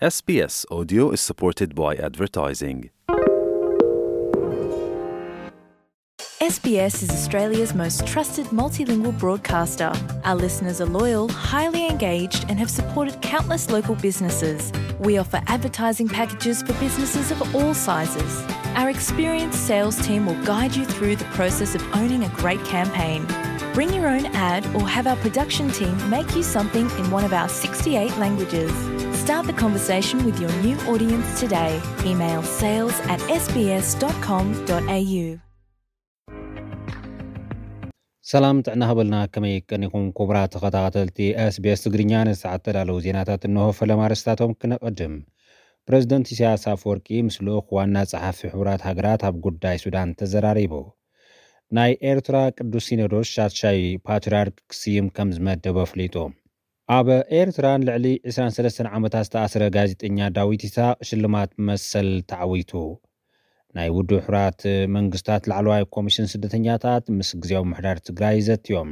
S B S Audio is supported by advertising. S B S is Australia's most trusted multilingual broadcaster. Our listeners are loyal, highly engaged, and have supported countless local businesses. We offer advertising packages for businesses of all sizes. Our experienced sales team will guide you through the process of owning a great campaign. Bring your own ad or have our production team make you something in one of our sixty-eight languages. Start the conversation with your new audience today. Email sales at S B S dot com dot A U. ሰላም ጥዕና ሃበልና፣ ከመይ ቀኒኹም ክቡራት ተኸታተልቲ SBS ትግርኛ? ንሰዓት ተዳለዉ ዜናታት እንሆ። ፈለማ ኣርእስታቶም ክነቐድም። ፕረዚደንት ኢሳያስ ኣፈወርቂ ምስ ልኡኽ ዋና ጸሓፊ ሕቡራት ሃገራት ኣብ ጉዳይ ሱዳን ተዘራሪቡ። ናይ ኤርትራ ቅዱስ ሲኖዶስ ሻድሻይ ፓትርያርክ ክስይም ከም ዝመደበ ኣፍሊጡ። ኣብ ኤርትራ ንልዕሊ ዕስራን ሰለስተን ዓመታት ዝተኣስረ ጋዜጠኛ ዳዊት ኢሳቕ ሽልማት መሰል ተዓዊቱ። ናይ ውድብ ሕቡራት መንግስታት ላዕለዋይ ኮሚሽን ስደተኛታት ምስ ግዜያዊ ምምሕዳር ትግራይ ዘትዮም።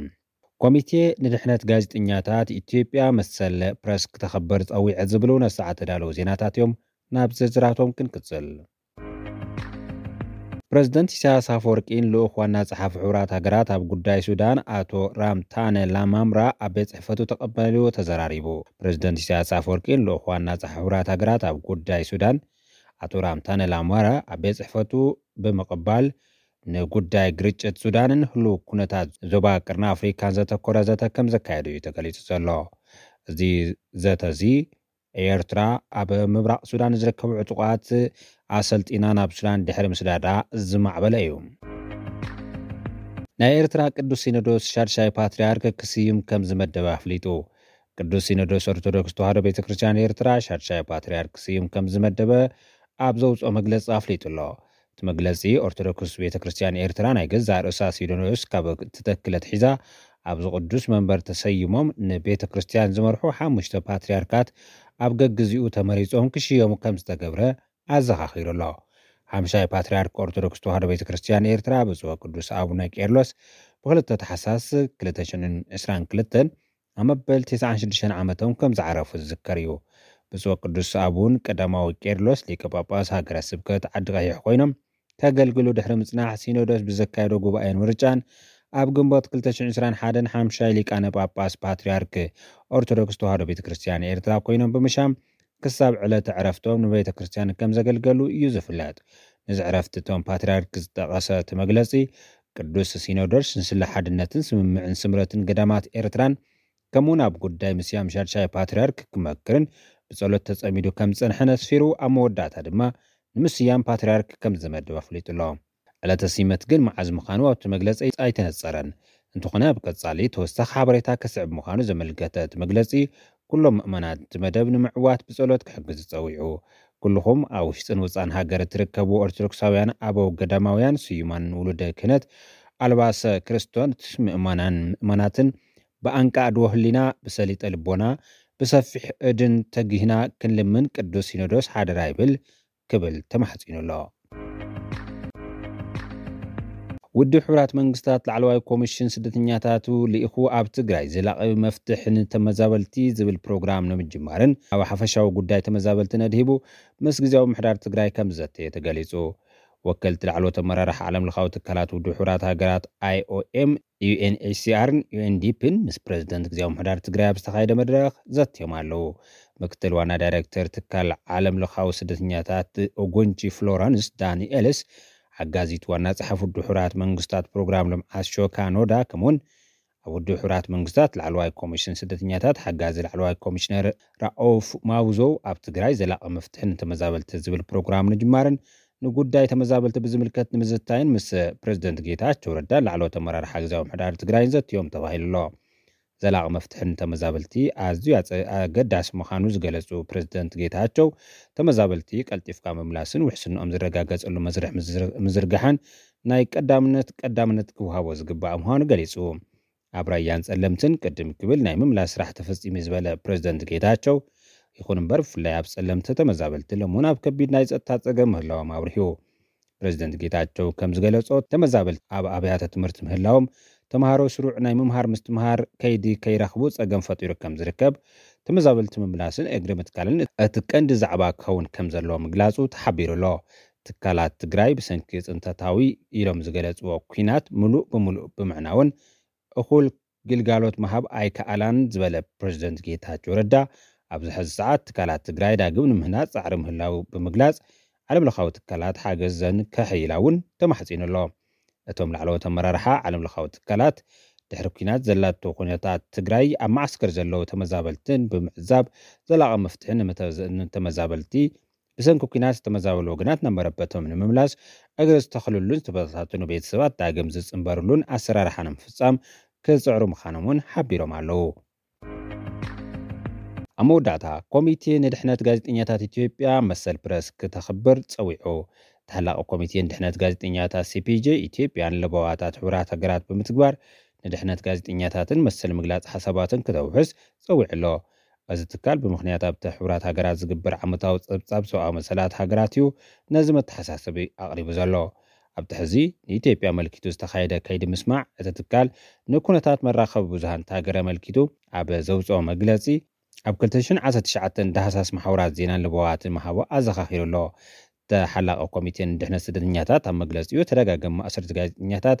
ኮሚቴ ንድሕነት ጋዜጠኛታት ኢትዮጵያ መሰል ፕረስ ክተኸብር ጸዊዐ ዝብሉ ነሰዓት ተዳለዉ ዜናታት እዮም። ናብ ዝርዝራቶም ክንቅጽል። ፕረዚደንት ኢሳያስ ኣፈወርቂን ልኡኽ ዋና ጸሓፊ ሕቡራት ሃገራት ኣብ ጉዳይ ሱዳን ኣቶ ራምታነ ላማምራ ኣብ ቤት ጽሕፈቱ ተቐበልዎ ተዘራሪቡ። ፕረዚደንት ኢሳያስ ኣፈወርቂን ልኡኽ ዋና ጸሓፊ ሕቡራት ሃገራት ኣብ ጉዳይ ሱዳን ኣቶ ራምታነ ላማምራ ኣብ ቤት ጽሕፈቱ ብምቕባል ንጉዳይ ግርጭት ሱዳንን ህሉው ኩነታት ዞባ ቅርኒ ኣፍሪካን ዘተኮረ ዘተ ከም ዘካየዱ እዩ ተገሊጹ ዘሎ። እዚ ዘተ እዚ ኤርትራ ኣብ ምብራቕ ሱዳን ዝርከቡ ዕጡቓት ኣሰልጢና ናብ ሱዳን ድሕሪ ምስዳዳ ዝማዕበለ እዩ። ናይ ኤርትራ ቅዱስ ሲኖዶስ ሻድሻይ ፓትርያርክ ክስይም ከም ዝመደበ ኣፍሊጡ። ቅዱስ ሲኖዶስ ኦርቶዶክስ ተዋህዶ ቤተ ክርስቲያን ኤርትራ ሻድሻይ ፓትርያርክ ክስይም ከም ዝመደበ ኣብ ዘውፅኦ መግለፂ ኣፍሊጡ ኣሎ። እቲ መግለፂ ኦርቶዶክስ ቤተ ክርስቲያን ኤርትራ ናይ ገዛእ ርእሳ ሲኖዶስ ካብ እትተክል ኣትሒዛ ኣብዚ ቅዱስ መንበር ተሰይሞም ንቤተ ክርስቲያን ዝመርሑ ሓሙሽተ ፓትርያርካት ኣብ ገግዚኡ ተመሪጾም ክሽየሙ ከም ዝተገብረ ኣዘኻኺሩ ኣሎ። ሓምሻይ ፓትርያርክ ኦርቶዶክስ ተዋህዶ ቤተ ክርስቲያን ኤርትራ ብፁዕ ቅዱስ ኣቡነ ቄርሎስ ብክልተ ታሕሳስ ክልተ ሽሕን ዕስራን ክልተን ኣብ መበል ተስዓን ሽዱሽተን ዓመቶም ከም ዝዓረፉ ዝዝከር እዩ። ብፁዕ ቅዱስ ኣቡን ቀዳማዊ ቄርሎስ ሊቀ ጳጳስ ሃገረ ስብከት ዓዲ ቀይሕ ኮይኖም ከገልግሉ ድሕሪ ምጽናሕ ሲኖዶስ ብዘካየዶ ጉባኤን ምርጫን ኣብ ግንቦት ክልተ ሽሕን ዕስራን ሓደን ሓምሻይ ሊቃነ ጳጳስ ፓትርያርክ ኦርቶዶክስ ተዋህዶ ቤተ ክርስቲያን ኤርትራ ኮይኖም ብምሻም ክሳብ ዕለተ ዕረፍቶም ንቤተ ክርስቲያን ከም ዘገልገሉ እዩ ዝፍለጥ። ነዚ ዕረፍቲ እቶም ፓትርያርክ ዝጠቐሰ እቲ መግለጺ ቅዱስ ሲኖዶስ ንስለ ሓድነትን ስምምዕን ስምረትን ገዳማት ኤርትራን ከምኡውን ኣብ ጉዳይ ምስያም ሻድሻይ ፓትርያርክ ክመክርን ብጸሎት ተጸሚዱ ከም ዝጸንሐ ነስፊሩ ኣብ መወዳእታ ድማ ንምስያም ፓትርያርክ ከም ዝመደብ ኣፍሊጡ ኣሎ። ዕለተ ሲመት ግን መዓዝ ምዃኑ ኣብቲ መግለጺ ኣይተነጸረን። እንተኾነ ኣብ ቀጻሊ ተወሳኺ ሓበሬታ ክስዕብ ምዃኑ ዘመልከተ እቲ መግለጺ ኩሎም ምእመናት እቲ መደብ ንምዕዋት ብጸሎት ክሕግዝ ጸዊዑ። ኩልኹም ኣብ ውሽጥን ወጻን ሃገር እትርከቡ ኦርቶዶክሳውያን ኣበው ገዳማውያን ስዩማን ውሉደ ክህነት ኣልባሰ ክርስቶን ምእመናን ምእመናትን ብኣንቃ ኣድዎ ህሊና ብሰሊጠ ልቦና ብሰፊሕ እድን ተጊህና ክንልምን ቅዱስ ሲኖዶስ ሓደራ ይብል ክብል ተማሕጺኑ ኣሎ። ውድብ ሕቡራት መንግስታት ላዕለዋይ ኮሚሽን ስደተኛታቱ ልኢኹ ኣብ ትግራይ ዘላቒ መፍትሒ ንተመዛበልቲ ዝብል ፕሮግራም ንምጅማርን ኣብ ሓፈሻዊ ጉዳይ ተመዛበልቲ ነድሂቡ ምስ ግዜያዊ ምሕዳር ትግራይ ከም ዝዘተየ ተገሊጹ። ወከልቲ ላዕለዎት ኣመራርሓ ዓለም ለኻዊ ትካላት ውድብ ሕቡራት ሃገራት ኣይ ኦ ኤም፣ ዩ ኤን ኤች ሲ ኣርን ዩ ኤን ዲ ፒን ምስ ፕረዚደንት ግዜያዊ ምሕዳር ትግራይ ኣብ ዝተኻየደ መድረኽ ዘትዮም ኣለዉ። ምክትል ዋና ዳይሬክተር ትካል ዓለም ለኻዊ ስደተኛታት ኦጎንቺ ፍሎረንስ ዳንኤልስ፣ ሓጋዚት ዋና ጸሓፊ ውድብ ሕቡራት መንግስታት ፕሮግራም ልምዓት ሾካ ኖዳ ከምኡውን ኣብ ውድብ ሕቡራት መንግስታት ላዕለዋይ ኮሚሽን ስደተኛታት ሓጋዚ ላዕለዋይ ኮሚሽነር ራኦፍ ማውዞ ኣብ ትግራይ ዘላቒ መፍትሒ ንተመዛበልቲ ዝብል ፕሮግራም ንጅማርን ንጉዳይ ተመዛበልቲ ብዝምልከት ንምዝታይን ምስ ፕረዚደንት ጌታቸው ረዳን ላዕለዎት ኣመራርሓ ግዜያዊ ምሕዳር ትግራይን ዘትዮም ተባሂሉ ኣሎ። ዘላቒ መፍትሒ ንተመዛበልቲ ኣዝዩ ኣጸ- ኣገዳሲ ምዃኑ ዝገለጹ ፕረዚደንት ጌታቸው ተመዛበልቲ ቀልጢፍካ ምምላስን ውሕስንኦም ዝረጋገጸሉ መስርሕ ምዝር- ምዝርጋሕን ናይ ቀዳምነት ቀዳምነት ክወሃቦ ዝግባእ ምዃኑ ገሊጹ። ኣብ ራያን ጸለምትን ቅድም ክብል ናይ ምምላስ ስራሕ ተፈጺሙ ዝበለ ፕረዚደንት ጌታቸው፣ ይኹን እምበር ብፍላይ ኣብ ጸለምቲ ተመዛበልቲ ሎምውን ኣብ ከቢድ ናይ ጸጥታ ጸገም ምህላዎም ኣብሪሁ። ፕረዚደንት ጌታቸው ከም ዝገለጾ ተመዛበልቲ ኣብ ኣብያተ ትምህርቲ ምህላዎም ተምሃሮ ስሩዕ ናይ ምምሃር ምስትምሃር ከይዲ ከይረኽቡ ጸገም ፈጢሩ ከም ዝርከብ፣ ተመዛበልቲ ምምላስን እግሪ ምትካልን እቲ ቀንዲ ዛዕባ ክኸውን ከም ዘለዎ ምግላጹ ተሓቢሩ ኣሎ። ትካላት ትግራይ ብሰንኪ ጽንተታዊ ኢሎም ዝገለጽዎ ኲናት ምሉእ ብምሉእ ብምዕናውን እኹል ግልጋሎት ምሃብ ኣይከኣላን ዝበለ ፕሬዚደንት ጌታቸው ረዳ፣ ኣብዚ ሕዚ ሰዓት ትካላት ትግራይ ዳግም ንምህናፅ ፃዕሪ ምህላው ብምግላፅ፣ ዓለም ለኻዊ ትካላት ሓገዘን ከሕይላ እውን ተማሕፂኑ ኣሎ። እቶም ላዕለዎት ኣመራርሓ ዓለም ለኻዊ ትካላት፣ ድሕሪ ኲናት ዘላቶ ኩነታት ትግራይ ኣብ መዓስከር ዘለዉ ተመዛበልትን ብምዕዛብ፣ ዘላቒ መፍትሒ ንመተ- ንተመዛበልቲ ብሰንኪ ኲናት ዝተመዛበሉ ወገናት ናብ መረበቶም ንምምላስ፣ እግሪ ዝተኽልሉን ዝተበታተኑ ቤተሰባት ዳግም ዝጽንበርሉን ኣሰራርሓ ንምፍጻም ክጽዕሩ ምዃኖም እውን ሓቢሮም ኣለዉ። ኣብ መወዳእታ፣ ኮሚቴ ንድሕነት ጋዜጠኛታት ኢትዮጵያ መሰል ፕረስ ክተኽብር ጸዊዑ። ተሓላቂ ኮሚቴ ንድሕነት ጋዜጠኛታት ሲ ፒ ጄ ኢትዮጵያን ለበዋታት ሕቡራት ሃገራት ብምትግባር ንድሕነት ጋዜጠኛታትን መሰል ምግላጽ ሓሳባትን ክተውሕስ ጸዊዑ ኣሎ። እዚ ትካል ብምኽንያት ኣብቲ ሕቡራት ሃገራት ዝግበር ዓመታዊ ጸብጻብ ሰብኣዊ መሰላት ሃገራት እዩ ነዚ መተሓሳሰቢ ኣቕሪቡ ዘሎ። ኣብቲ ሕዚ ንኢትዮጵያ ኣመልኪቱ ዝተኻየደ ከይዲ ምስማዕ፣ እቲ ትካል ንኩነታት መራኸቢ ብዙሃን እታ ሃገር ኣመልኪቱ ኣብ ዘውፅኦ መግለፂ፣ ኣብ ክልተ ሽሕን ዓሰርተ ትሽዓተን ዳህሳስ መሓውራት ዜናን ለበዋትን ምሃቡ ኣዘኻኺሩ ኣሎ። ተሓላቂ ኮሚቴ ንድሕነት ስደተኛታት ኣብ መግለፂኡ፣ ተደጋጋሚ ማእሰርቲ ጋዜጠኛታት፣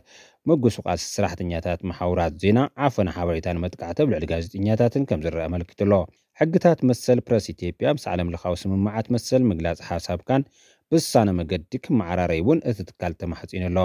ምጉስቋል ሰራሕተኛታት መሓውራት ዜና፣ ዓፈና ሓበሬታን መጥቃዕቲ ኣብ ልዕሊ ጋዜጠኛታትን ከም ዝረአ ኣመልኪቱ ኣሎ። ሕግታት መሰል ፕረስ ኢትዮጵያ ምስ ዓለም ለኻዊ ስምምዓት መሰል ምግላጽ ሓሳብካን ብዝሳነ መገዲ ክመዓራረይ እውን እቲ ትካል ተማሕጺኑ ኣሎ።